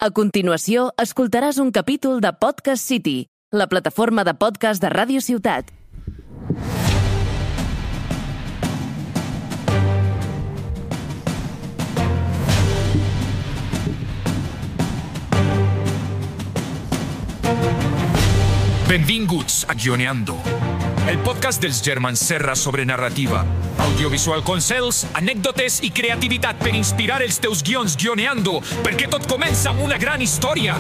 A continuació, escoltaràs un capítol de Podcast City, la plataforma de podcast de Ràdio Ciutat. Benvinguts a Guioneando, el podcast dels germans Serra sobre narrativa, audiovisual consells, anècdotes i creativitat per inspirar els teus guions guioneando, perquè tot comença amb una gran història.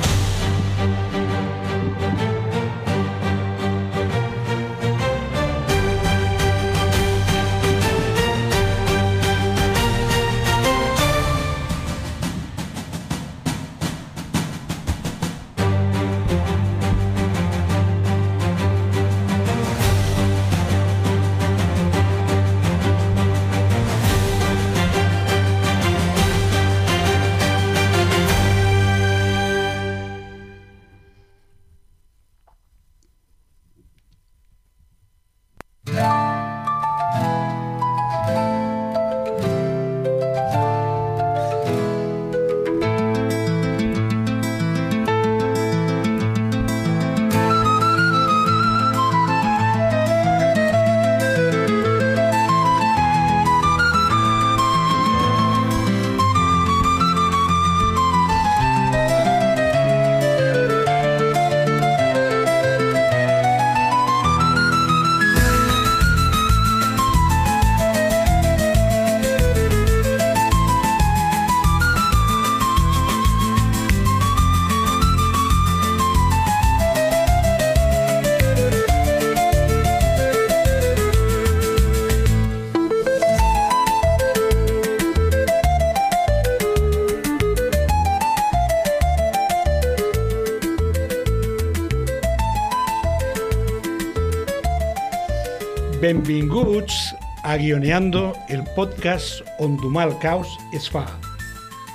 Benvinguts a Guioneando, el podcast on domar el caos es fa.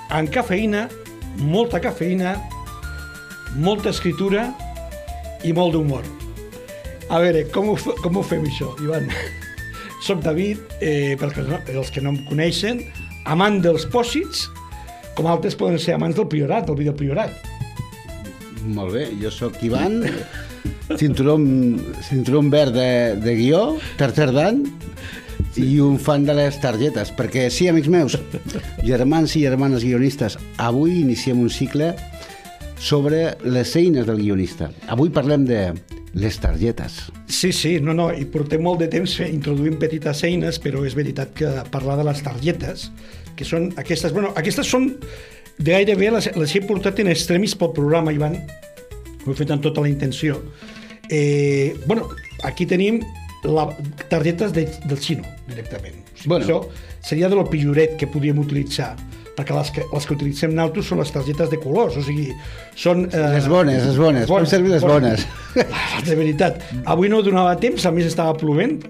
Amb cafeïna, molta escriptura i molt d'humor. A veure, com ho fem això, Ivan? Soc David, els que no em coneixen, amant dels pòsits, com altres poden ser amants del Priorat, del vídeo Priorat. Molt bé, jo sóc Ivan, cinturó verd de guió, tercer dan, i un fan de les targetes, perquè sí, amics meus, germans i germanes guionistes, avui iniciem un cicle sobre les eines del guionista. Avui parlem de les targetes. Sí, i portem molt de temps introduint petites eines, però és veritat que parlar de les targetes, que són aquestes... Aquestes són de gairebé, les he portat en extremis pel programa, Ivan, ho he fet amb tota la intenció. Aquí tenim targetes del xino, directament. Això seria de lo pilloret que podríem utilitzar, perquè les que utilitzem nosaltres són les targetes de colors, o sigui, són... Les bones, podem servir les bones. De veritat. Avui no donava temps, a més estava plovent,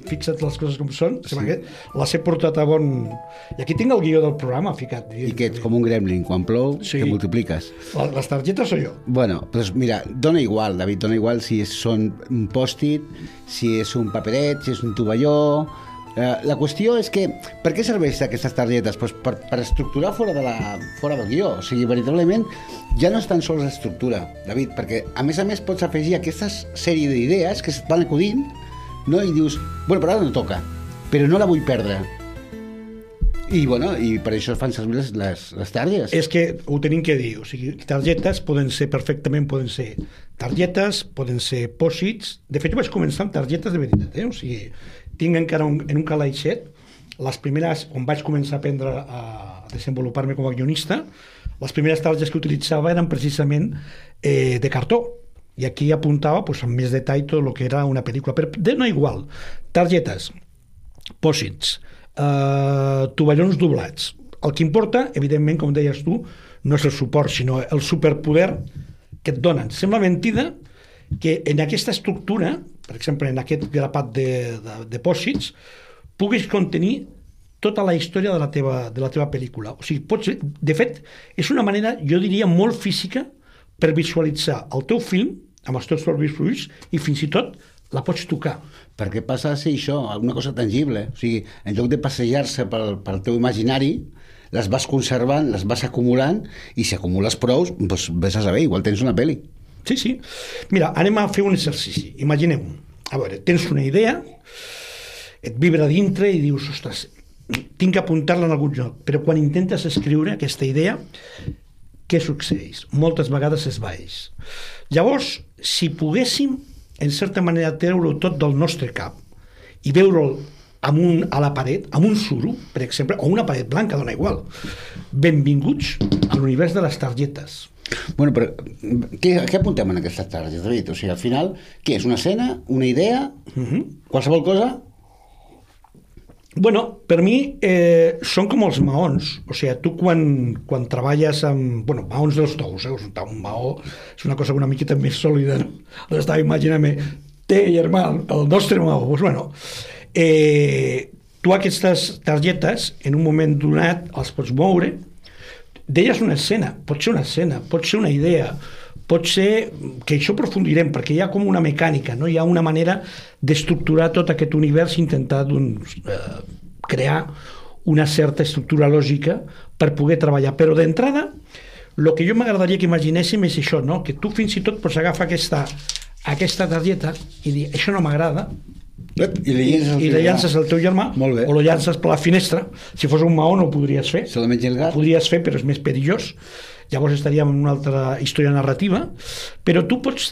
fixa't les coses com són, les he portat a bon... I aquí tinc el guió del programa ficat. I que ets com un gremlin, quan plou, te multipliques. Les targetes soy jo. Bueno, doncs mira, dona igual, David, dona igual si són un pòstit, si és un paperet, si és un tovalló... La qüestió és que, per què serveix aquestes targetes? Pues per estructurar fora del guió. O sigui, veritablement, ja no és tan sols l'estructura, David, perquè a més pots afegir aquesta sèrie d'idees que es van acudint, no? I dius, però ara no toca, però no la vull perdre. I per això fan servir les targetes. És que ho tenim que dir, o sigui, targetes poden ser targetes, poden ser pòsits. De fet, jo vaig començar amb targetes de veritat, o sigui, tinc encara en un calaixet, les primeres, on vaig començar a aprendre a desenvolupar-me com a guionista, les primeres targetes que utilitzava eren precisament de cartó, i aquí apuntava amb més detall tot el que era una pel·lícula, però no igual, targetes, pòsits, tovallons doblats. El que importa, evidentment, com deies tu, no és el suport, sinó el superpoder que et donen. Sembla mentida que en aquesta estructura, per exemple, en aquest grapat de pòsits, puguis contenir tota la història de la teva pel·lícula. O sigui, de fet, és una manera, jo diria, molt física per visualitzar el teu film amb els teus propis ulls i fins i tot la pots tocar. Perquè passa a ser això, una cosa tangible. O sigui, en lloc de passejar-se pel teu imaginari, les vas conservant, les vas acumulant, i si acumules prou, doncs vés a saber, igual tens una pel·li. Sí, sí. Mira, anem a fer un exercici. Imagineu, a veure, tens una idea, et vibra dintre i dius, ostres, tinc que apuntar-la en algun lloc, però quan intentes escriure aquesta idea, què succeeix? Moltes vegades esvaeix. Llavors, si poguéssim, en certa manera, treure-ho tot del nostre cap i veure'l a la paret, amb un suro, per exemple, o una paret blanca, dona igual. Benvinguts a l'univers de les targetes. Bueno, però què apuntem en aquestes targetes, David? O sigui, al final, què és? Una escena? Una idea? Qualsevol cosa? Bueno, per mi són com els maons. O sigui, tu quan treballes amb... Bueno, maons dels tous, un maó és una cosa una miqueta més sòlida, no? Estava imaginant-me, germà, el nostre maó. Doncs, bueno, tu aquestes targetes, en un moment donat, els pots moure. D'elles una escena, pot ser una idea, pot ser que això aprofundirem, perquè hi ha com una mecànica, no? Hi ha una manera d'estructurar tot aquest univers i intentar crear una certa estructura lògica per poder treballar. Però d'entrada, el que jo m'agradaria que imaginéssim és això, no? Que tu fins i tot pots agafar aquesta targeta i dir, això no m'agrada, i la llances al teu germà, o la llances per la finestra. Si fos un maó no ho podries fer, se la menja el gat. Ho podries fer, però és més perillós, llavors estaríem en una altra història narrativa. Però tu pots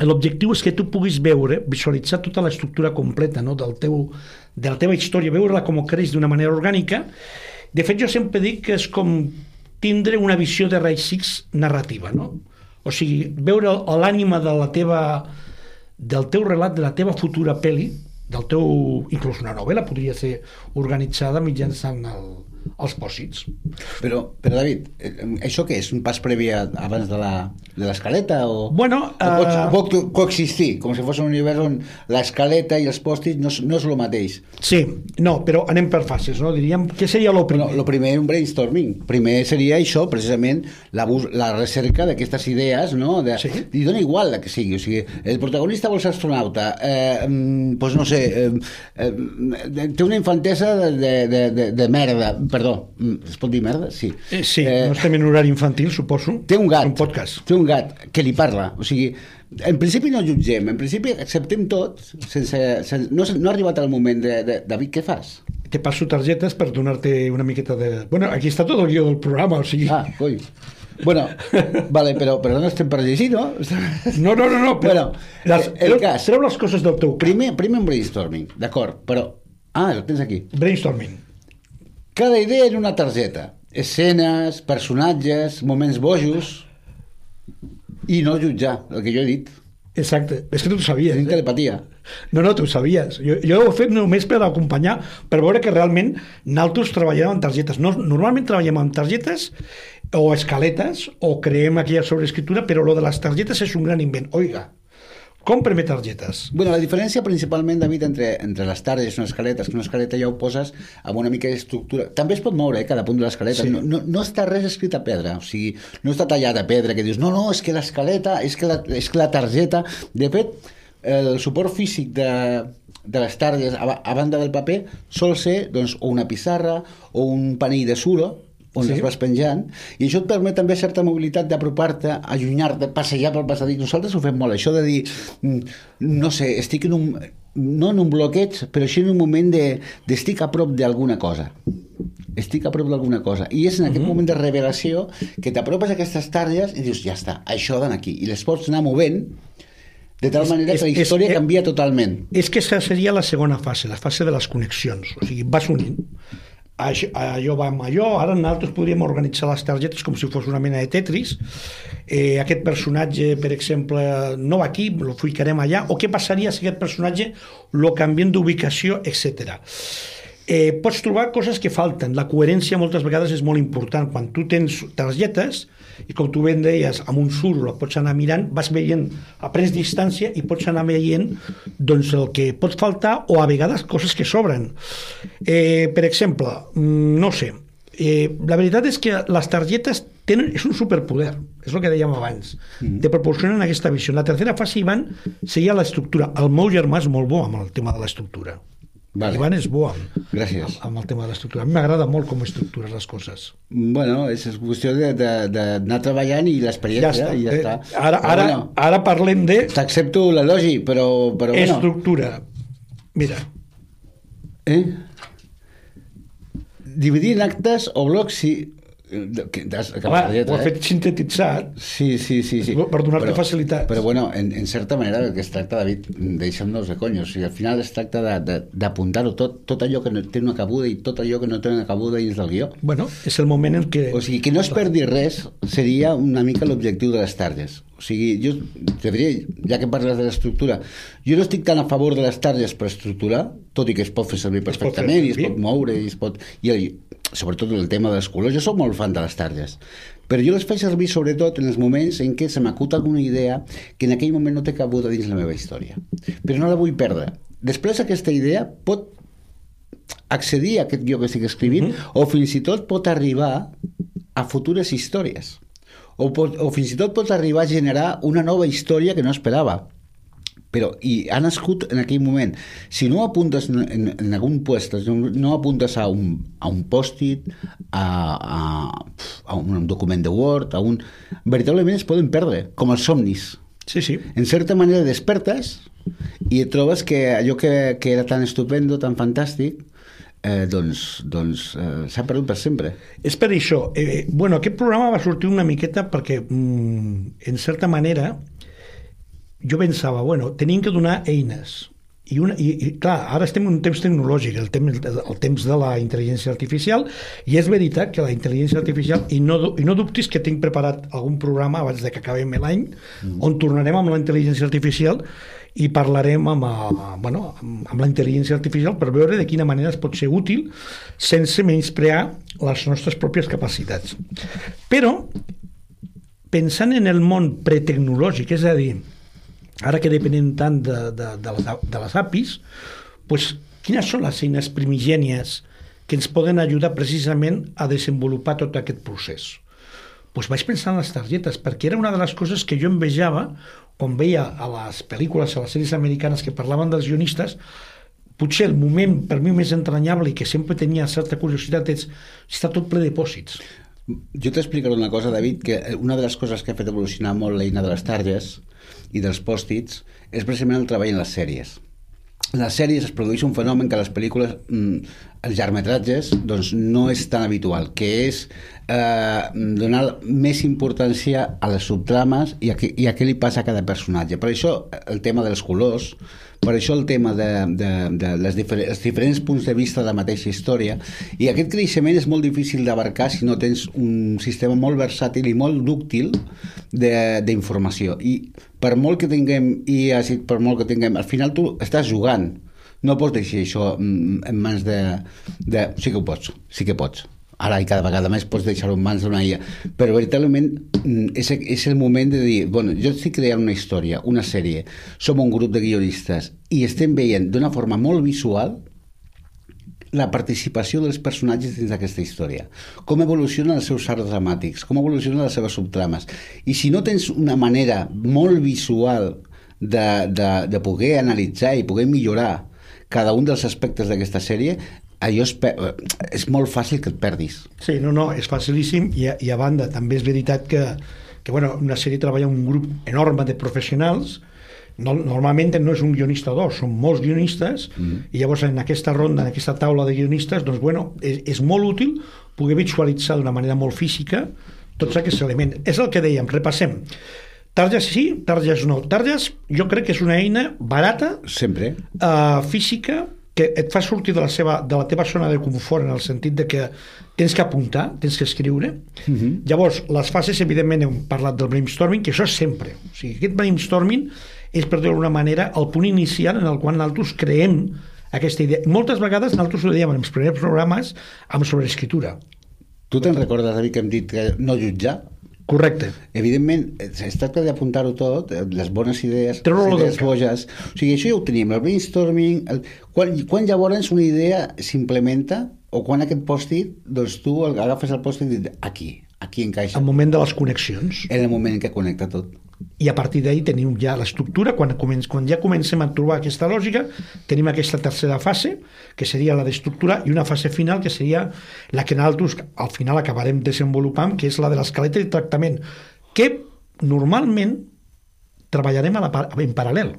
l'objectiu és que tu puguis veure, visualitzar tota l'estructura completa, no? de la teva història, veure-la com creix d'una manera orgànica. De fet, jo sempre dic que és com tindre una visió de raig X narrativa, no? O sigui, veure l'ànima del teu relat, de la teva futura pel·li, inclús una novel·la podria ser organitzada mitjançant els pòsits. Però David, això què és? Un pas previ abans de l'escaleta? Bueno, pot coexistir, com si fos un univers on l'escaleta i els pòsits no és el mateix. Sí, no, però anem per fases, no? Diríem, què seria el primer? El primer és un brainstorming. Primer seria això, precisament, la recerca d'aquestes idees, no? Sí. I dona igual la que sigui. O sigui, el protagonista vol ser astronauta, doncs no sé, té una infantesa de merda. Perdó, es pot dir merda? Sí. Sí, no estem en horari infantil, suposo. Té un gat. Un podcast. Té un gat que li parla. O sigui, en principi no jutgem, en principi acceptem tot, no ha arribat el moment de David, què fas? Te passo targetes per donar-te una miqueta de... Bueno, aquí està tot el guió del programa, o sigui... Coi. Bueno, vale, però no estem per llegir, no? No. Bueno, el cas... Treu les coses del teu... Primer un brainstorming, d'acord, però... el tens aquí. Brainstorming. Cada idea en una targeta. Escenes, personatges, moments bojos... I no jutjar, el que jo he dit. Exacte, és que tu ho sabies. Tinc telepatia. No, tu ho sabies. Jo ho he fet només per acompanyar, per veure que realment nosaltres treballem amb targetes. Normalment treballem amb targetes o escaletes o creem aquella sobreescriptura, però lo de les targetes és un gran invent. Oiga, cómpreme targetes. Bueno, la diferència principalment, David, entre les targetes i una escaleta, és que una escaleta ja ho poses amb una mica d'estructura. També es pot moure, cada punt de l'escaleta. Sí. No està res escrit a pedra, o sigui, no està tallat a pedra, que dius, no, és que l'escaleta, és que la targeta... De fet, el suport físic de les targetes a banda del paper sol ser, doncs, o una pissarra o un panell de suro, on les vas penjant, i això et permet també certa mobilitat d'apropar-te, allunyar-te, passejar pel passadís. Nosaltres ho fem molt, això de dir, no sé, estic no en un bloqueig, però així en un moment d'estic a prop d'alguna cosa. Estic a prop d'alguna cosa. I és en aquest moment de revelació que t'apropes a aquestes targes i dius, ja està, això d'anar aquí. I les pots anar movent de tal manera que la història canvia totalment. És que aquesta seria la segona fase, la fase de les connexions. O sigui, vas unint. Allò va amb allò, ara nosaltres podríem organitzar les targetes com si fos una mena de Tetris. Aquest personatge, per exemple, no va aquí, lo ficarem allà, o què passaria si aquest personatge lo canviem d'ubicació, etc. Pots trobar coses que falten. La coherència moltes vegades és molt important. Quan tu tens targetes, i com tu ben deies, amb un suro la pots anar mirant, vas veient, aprens distància i pots anar veient doncs, el que pot faltar o a vegades coses que sobren. Per exemple, no sé, la veritat és que les targetes és un superpoder, és el que dèiem abans, te proporcionen aquesta visió. La tercera fase, Ivan, seria l'estructura. El meu germà és molt bo amb el tema de l'estructura. Vale. Ivan és bo Gràcies. amb el tema de l'estructura. A mi m'agrada molt com estructures les coses. Bueno, és qüestió d'anar treballant i l'experiència, i ja està. Ara parlem de... T'accepto l'elogi, però bueno. Estructura. Mira. Dividir en actes o blocs, sí. Clar, ho ha fet sintetitzat. Sí. Per donar-te facilitats. Però bueno, en certa manera el que es tracta, David, deixa'm-nos de conyos. O sigui, al final es tracta d'apuntar-ho tot allò que no té una cabuda i tot allò que no té una cabuda dins del guió. Bueno, és el moment en què... O sigui, que no es perdi res seria una mica l'objectiu de les targes. O sigui, jo te diria, ja que parles de l'estructura, jo no estic tan a favor de les targes per estructurar, tot i que es pot fer servir perfectament i es pot moure i es pot... sobretot el tema dels colors, jo soc molt fan de les targes, però jo les faig servir sobretot en els moments en què se m'acut alguna idea que en aquell moment no té cabuda dins la meva història, però no la vull perdre. Després aquesta idea pot accedir a aquest guió que estic escrivint o fins i tot pot arribar a futures històries o fins i tot pot arribar a generar una nova història que no esperava, però i ha nascut en aquell moment. Si no apuntes en algun puest, no apuntes a un post-it, a un document de Word, veritablement es poden perdre, com els somnis. Sí. En certa manera despertes i et trobes que allò que era tan estupendo, tan fantàstic, s'ha perdut per sempre. És per això. Aquest programa va sortir una miqueta perquè, en certa manera, jo pensava, tenim que donar eines. I clar, ara estem en un temps tecnològic, el temps de la intel·ligència artificial, i és veritat que la intel·ligència artificial, i no dubtis que tinc preparat algun programa abans de que acabem l'any, on tornarem amb la intel·ligència artificial i parlarem amb la intel·ligència artificial per veure de quina manera es pot ser útil sense menysprear les nostres pròpies capacitats. Però, pensant en el món pretecnològic, és a dir, ara que depenem tant de les APIs, quines són les eines primigènies que ens poden ajudar precisament a desenvolupar tot aquest procés? Vaig pensar en les targetes, perquè era una de les coses que jo envejava quan veia a les pel·lícules, a les sèries americanes que parlaven dels guionistes. Potser el moment per mi més entranyable i que sempre tenia certa curiositat és està tot ple de pòsits. Jo t'explicaré una cosa, David, que una de les coses que ha fet evolucionar molt l'eina de les targes i dels pòstits és precisament el treball en les sèries. En les sèries es produeix un fenomen que a les pel·lícules, els llargmetratges, no és tan habitual, que és donar més importància a les subtrames i a què li passa a cada personatge. Per això el tema dels colors, per això el tema els diferents punts de vista de la mateixa història, i aquest creixement és molt difícil d'abarcar si no tens un sistema molt versàtil i molt dúctil d'informació. I per molt que tinguem IAs i per molt que tinguem, al final tu estàs jugant, no pots deixar això en mans de... Sí que pots. Ara i cada vegada més pots deixar-ho en mans d'una IA, però veritablement és el moment de dir, jo estic creant una història, una sèrie, som un grup de guionistes i estem veient d'una forma molt visual la participació dels personatges dins d'aquesta història, com evolucionen els seus arcs dramàtics, com evolucionen les seves subtrames, i si no tens una manera molt visual de poder analitzar i poder millorar cada un dels aspectes d'aquesta sèrie, allò és molt fàcil que et perdis. Sí, és facilíssim i a banda també és veritat que una sèrie treballa un grup enorme de professionals. Normalment no és un guionista o dos, són molts guionistes i llavors en aquesta ronda, en aquesta taula de guionistes, és molt útil poder visualitzar d'una manera molt física tots aquests elements. És el que dèiem, repassem. Targes sí, targes no. Targes jo crec que és una eina barata, sempre, física, que et fa sortir de la teva zona de confort en el sentit de que tens que apuntar, tens que escriure. Llavors, les fases, evidentment, hem parlat del brainstorming, que això és sempre. O sigui, aquest brainstorming és, per dir-ho d'alguna manera, el punt inicial en el qual nosaltres creem aquesta idea. Moltes vegades nosaltres ho dèiem en els primers programes amb sobreescritura. Tu te'n recordes, David, que hem dit que no jutjar? Correcte. Evidentment, es tracta d'apuntar-ho tot, les bones idees, les idees boges. O sigui, això ja ho tenim, el brainstorming... Quan llavors una idea s'implementa o quan aquest pòstit, tu agafes el pòstit i dius, aquí encaixa. El moment de les connexions. En el moment en què connecta tot. i a partir d'ahí tenim ja l'estructura. Quan ja comencem a trobar aquesta lògica, tenim aquesta tercera fase, que seria la d'estructura, i una fase final, que seria la que nosaltres al final acabarem desenvolupant, que és la de l'escaleta i tractament, que normalment treballarem en paral·lel.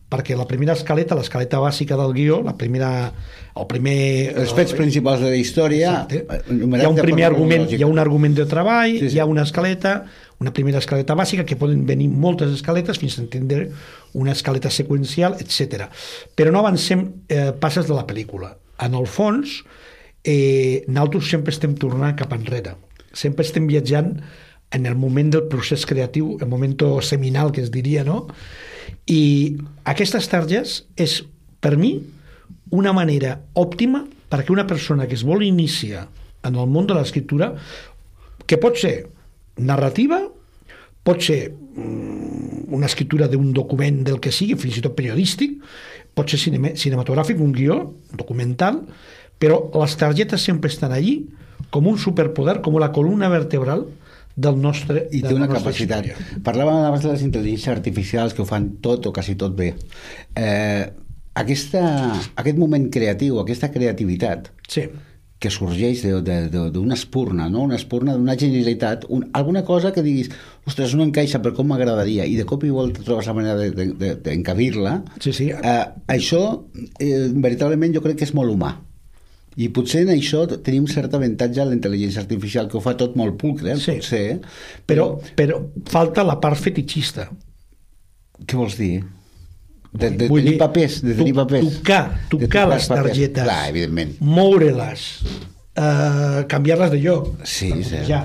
Perquè la primera escaleta, l'escaleta bàsica del guió, els fets principals de la història, hi ha un primer argument, hi ha un argument de treball, sí. Hi ha una escaleta, una primera escaleta bàsica, que poden venir moltes escaletes fins a entendre una escaleta seqüencial, etc. Però no avancem passes de la pel·lícula. En el fons, nosaltres sempre estem tornant cap enrere, sempre estem viatjant en el moment del procés creatiu, el moment seminal, que es diria, no? I aquestes targes és, per mi, una manera òptima perquè una persona que es vol iniciar en el món de l'escriptura, que pot ser narrativa, pot ser una escriptura d'un document del que sigui, fins i tot periodístic, pot ser cinematogràfic, un guió, documental, però les targetes sempre estan allí com un superpoder, com la columna vertebral del nostre... I té una capacitat. Parlàvem abans de les intel·ligències artificials que ho fan tot o quasi tot bé. Aquest moment creatiu, aquesta creativitat, sí, que sorgeix d'una espurna, no? Una espurna d'una genialitat, alguna cosa que diguis, ostres, no encaixa, però com m'agradaria, i de cop i volta trobes la manera d'encabir-la. Sí, sí. Això, veritablement, jo crec que és molt humà. I potser en això tenim cert avantatge a la intel·ligència artificial, que ho fa tot molt pulcre, sí, potser. Però falta la part fetitxista. Què vols dir? De tenir papers. Tocar les targetes. Clar, evidentment. Moure-les. Canviar-les de lloc. Sí, sí. Ja.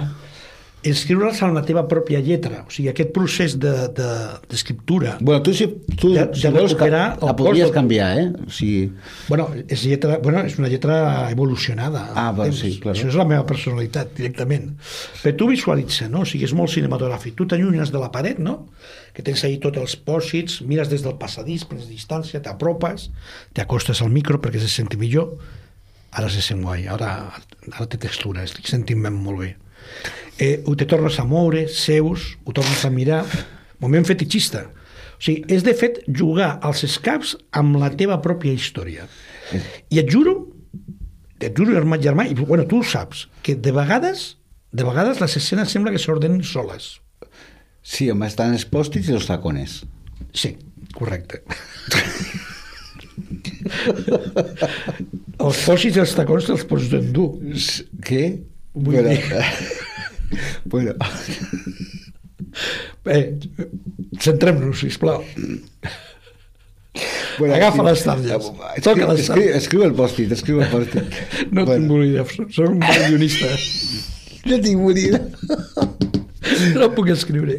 Escriure-les en la teva pròpia lletra. O sigui, aquest procés d'escriptura... Bueno, tu si vols, la podries canviar, eh? O sigui... Bueno, és una lletra evolucionada. Sí, clar. Això és la meva personalitat, directament. Però tu visualitza, no? O sigui, és molt cinematogràfic. Tu t'allunyes de la paret, no? Que tens ahí tots els pòsits, mires des del passadís, prens distància, t'apropes, t'acostes al micro perquè se senti millor. Ara se sent guai, ara té textura, estic sentint-me molt bé. Te tornes a moure, seus, ho tornes a mirar, moment fetitxista. O sigui, és de fet jugar als escaps amb la teva pròpia història. I et juro, germà, i bueno, tu ho saps, que de vegades les escenes sembla que s'ordenen soles. Sí, home, estan els pòstits i els tacones. Sí, correcte. Els pòstits i els tacons te'ls pots endur. Què? Bueno. Centrem-nos, sisplau. Agafa les targes. Escriu el pòstit. No tinc bolígraf, soc un guionista. No tinc bolígraf. No puc escriure.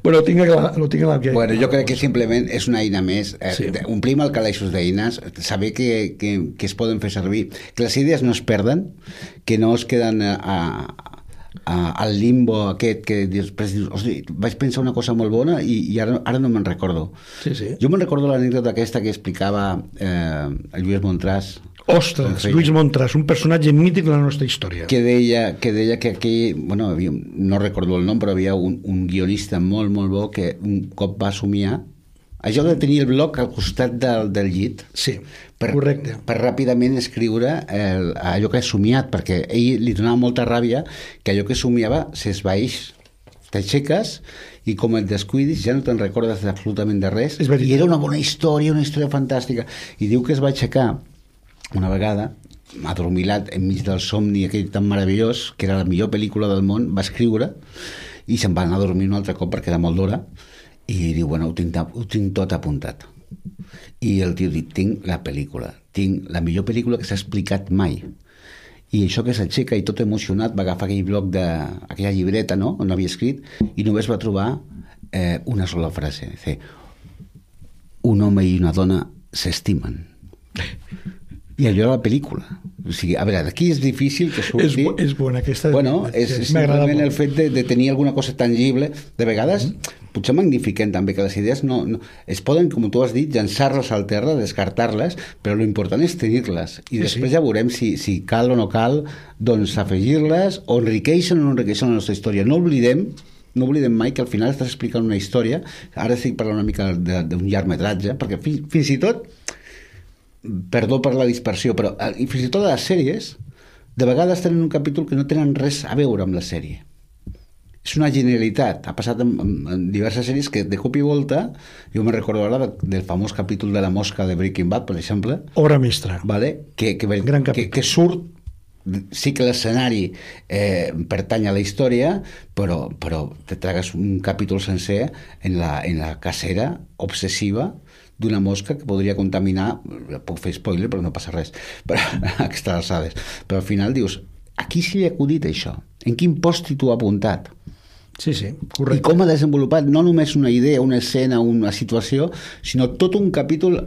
Bueno, tinc la que... Bueno, jo crec que simplement és una eina més. Sí. Omplim el calaixos d'eines, saber que es poden fer servir, que les idees no es perden, que no es queden al limbo aquest que després dius, hosti, vaig pensar una cosa molt bona i ara no me'n recordo. Sí, sí. Jo me'n recordo l'anècdota aquesta que explicava el Lluís Montràs. Ostres, Lluís Montràs, un personatge mític de la nostra història. Que deia que aquí, bueno, no recordo el nom, però havia un guionista molt, molt bo que un cop va somiar això de tenir el bloc al costat del llit. Sí, correcte. Per ràpidament escriure allò que ha somiat, perquè a ell li donava molta ràbia que allò que somiava s'esvaeix. T'aixeques i com et descuidis ja no te'n recordes absolutament de res. I era una bona història, una història fantàstica. I diu que es va aixecar una vegada, adormilat enmig del somni aquell tan meravellós, que era la millor pel·lícula del món, va escriure i se'n va anar a dormir un altre cop perquè era molt d'hora. I diu, bueno, ho tinc tot apuntat. I el tio diu, tinc la pel·lícula, tinc la millor pel·lícula que s'ha explicat mai. I això que s'aixeca i tot emocionat va agafar aquell bloc aquella llibreta, no?, on havia escrit, i només va trobar una sola frase. Dice, un home i una dona s'estimen. I allò era la pel·lícula. O sigui, a veure, d'aquí és difícil que surti... És bona aquesta... Bueno, és simplement el fet de tenir alguna cosa tangible. De vegades, potser magnifiquen també que les idees no es poden, com tu has dit, llançar-les al terra, descartar-les, però l'important és tenir-les. I després ja veurem si cal o no cal, doncs afegir-les, o enriqueixen o no enriqueixen la nostra història. No oblidem no oblidem mai que al final estàs explicant una història. Ara estic parlant una mica d'un llargmetratge, perquè fins i tot, perdó per la dispersió, però fins i tot les sèries de vegades tenen un capítol que no tenen res a veure amb la sèrie. És una genialitat. Ha passat en diverses sèries que de cop i volta, jo me recordo ara del famós capítol de la mosca de Breaking Bad, per exemple. Obra mestra. Vale? Que surt, sí que l'escenari pertany a la història, però te tragues un capítol sencer en la cacera obsessiva d'una mosca que podria contaminar, puc fer spoiler però no passa res, però a aquestes alçades. Però al final dius, a qui s'hi ha acudit això? En quin pòstit ho ha apuntat? Sí, correcte. I com ha desenvolupat no només una idea, una escena, una situació, sinó tot un capítol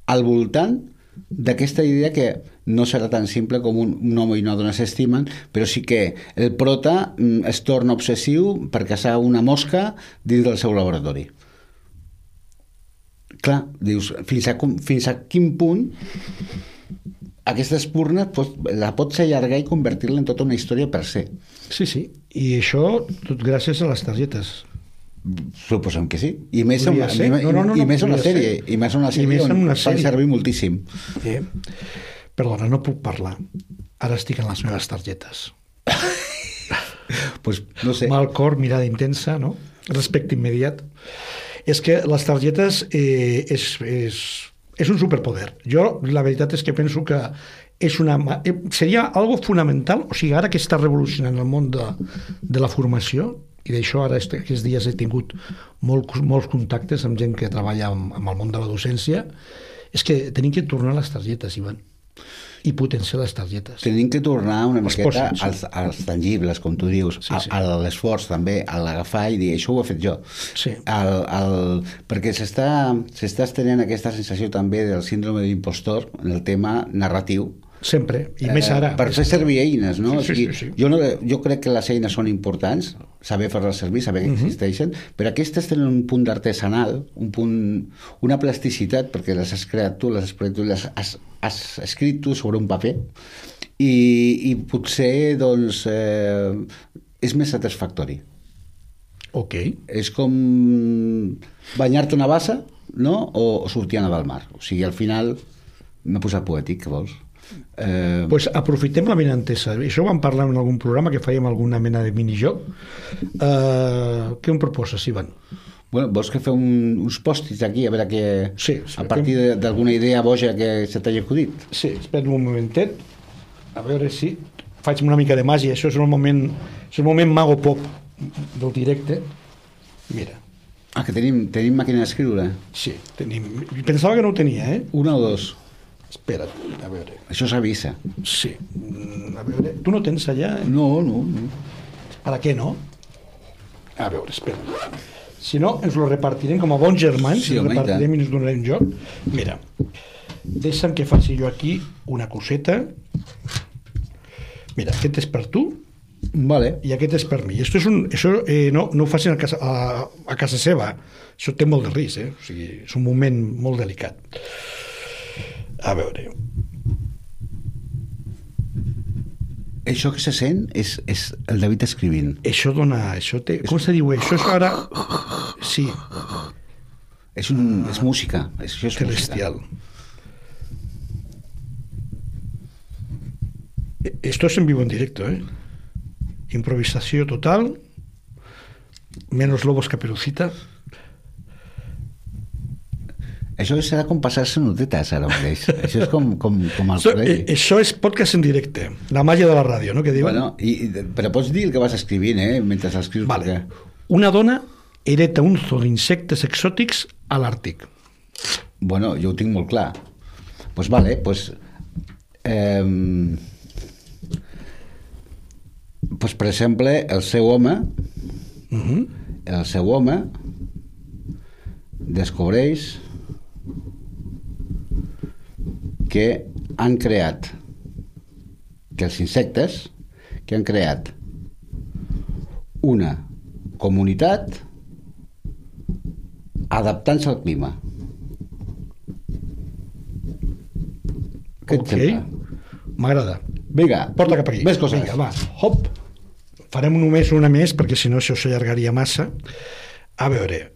al voltant d'aquesta idea que no serà tan simple com un home i una dona s'estimen, però sí que el prota es torna obsessiu per caçar una mosca dins del seu laboratori. Clar, dius, fins a quin punt aquesta espurna la pots allargar i convertir-la en tota una història per ser. Sí, i això tot gràcies a les targetes. Suposem que sí. I més en una sèrie. I més en una sèrie on fan servir moltíssim. Perdona, no puc parlar. Ara estic en les meves targetes. Pues, no sé. Mal cor, mirada intensa, no? Respecte immediat. És que les targetes és un superpoder. Jo, la veritat és que penso que seria algo fonamental, o sigui, ara que està revolucionant el món de la formació, i d'això ara aquests dies he tingut molts contactes amb gent que treballa amb el món de la docència, és que tenim que tornar a les targetes, Ivan, i potenciar les targetes. Tenim que tornar una miqueta als tangibles, com tu dius, a l'esforç també, a l'agafar i dir, això ho he fet jo. Sí. Perquè s'està estenent aquesta sensació també del síndrome d'impostor en el tema narratiu. Sempre, i més ara. Per fer servir eines, no? Sí. Jo crec que les eines són importants, saber fer-les servir, saber que existeixen, però aquestes tenen un punt d'artesanal, una plasticitat, perquè les has creat tu, les has escrit tu sobre un paper, i potser, doncs, és més satisfactori. Ok. És com banyar-te una bassa, no? O sortir a nedar al mar. O sigui, al final m'he posat poètic, què vols? Pues aprofitem la benentesa. Això ho vam parlar en algun programa que fèiem alguna mena de minijoc. Què em proposes, Ivan? Bueno, vols que fem uns pòstits aquí a veure què... Sí, a partir d'alguna idea boja que se t'hagi acudit? Sí, espera un momentet a veure si faig una mica de màgia. Això és el moment mago pop del directe. Mira. Que tenim màquina d'escriure? Sí, tenim. Pensava que no ho tenia, Una o dos? Espera't, a veure. Això s'avisa. Sí. A veure, tu no tens allà? No. Ara què no? A veure, espera. Si no, ens lo repartirem com a bons germans, sí, ens repartirem i ens donarem joc. Mira, deixa'm que faci jo aquí una coseta. Mira, aquest és per tu. Vale. I aquest és per mi. Això no ho facin a casa seva. Això té molt de risc, O sigui, és un moment molt delicat. A veure. Això que se sent és el David escrivint. Això dona... com se diu? Això és ara... Sí. És música. Això és celestial. Esto es en vivo en directo, Improvisació total. Menos lobos caperucita. Això serà com passar-se notetes ara mateix. Això és com al col·legi. Això és podcast en directe. La màgia de la ràdio, no? Que diuen? Bueno, però pots dir el que vas escrivint, mentre escrius. Vale. Una dona hereta un zoo d'insectes exòtics a l'Àrtic. Bueno, jo ho tinc molt clar. Pues vale, pues per exemple, el seu home descobreix que els insectes han creat una comunitat adaptant-se al clima. Què et sembla? M'agrada. Vinga, porta cap aquí. Més coses. Vinga, va. Hop. farem només una més, perquè si no això s'allargaria massa. A veure...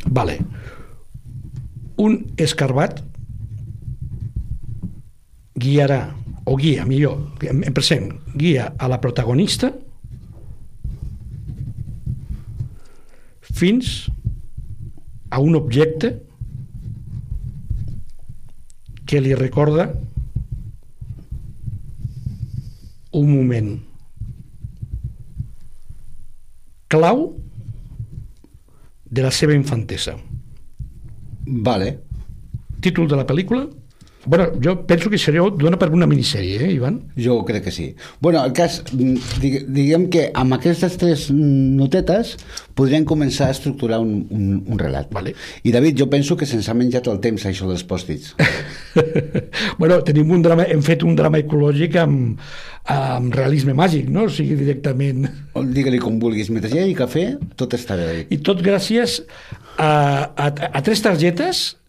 Vale. Un escarbat guiarà, o guia, millor, en present, guia a la protagonista fins a un objecte que li recorda un moment clau de la seva infantesa. Vale. Títol de la pel·lícula? Bueno, jo penso que seria dona per una minissèrie, Ivan? Jo crec que sí. Bueno, el cas, diguem que amb aquestes 3 notetes podríem començar a estructurar un relat. Vale. I David, jo penso que se'ns ha menjat el temps això dels pòstits. Bueno, tenim un drama, hem fet un drama ecològic amb realisme màgic, no? O sigui, directament... Digue-li com vulguis, mentre hi hagi cafè, tot està bé, David. I tot gràcies a 3 targetes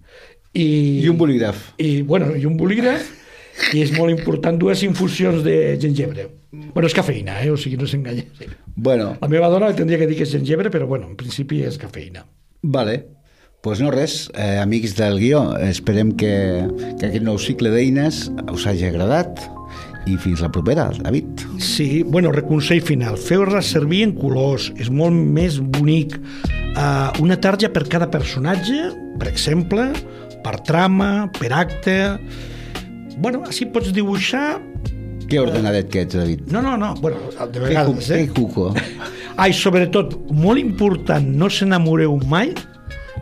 i un bolígraf. I un bolígraf, i és molt important 2 infusions de gengebre. Bueno, és cafeïna, o sigui, no s'enganya. Bueno. La meva dona tindria que dir que és gengebre, però bueno, en principi és cafeïna. Vale. Pues no res, amics del guió, esperem que aquest nou cicle d'eines us hagi agradat i fins la propera, David. Sí, bueno, reconsell final, feu-la servir en colors, és molt més bonic. Una tarja per cada personatge, per exemple, per trama, per acte... Bueno, així pots dibuixar... Que ordenadet que ets, David. No, bueno, de vegades, Que cuco. I sobretot, molt important, no s'enamoreu mai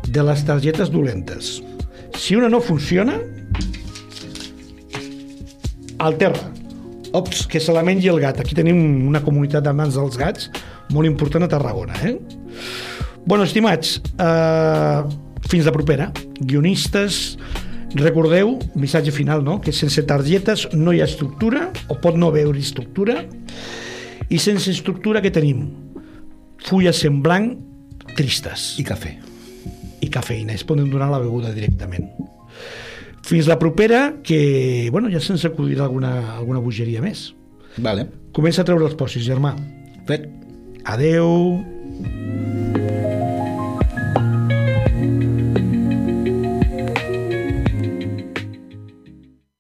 de les targetes dolentes. Si una no funciona, al terra. Ops, que se la mengi el gat. Aquí tenim una comunitat d'amants dels gats molt important a Tarragona, Bueno, estimats, fins la propera. Guionistes, recordeu, missatge final, no? Que sense targetes no hi ha estructura, o pot no haver-hi estructura, i sense estructura que tenim? Fulles en blanc tristes. I cafè. I cafeïna, es poden donar la beguda directament. Fins la propera, que, bueno, ja se'ns acudirà alguna bogeria més. Vale. Comença a treure els pòssits, germà. Fet. Adeu.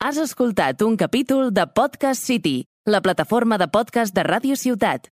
Has escoltat un capítol de Podcast City, la plataforma de podcast de Ràdio Ciutat.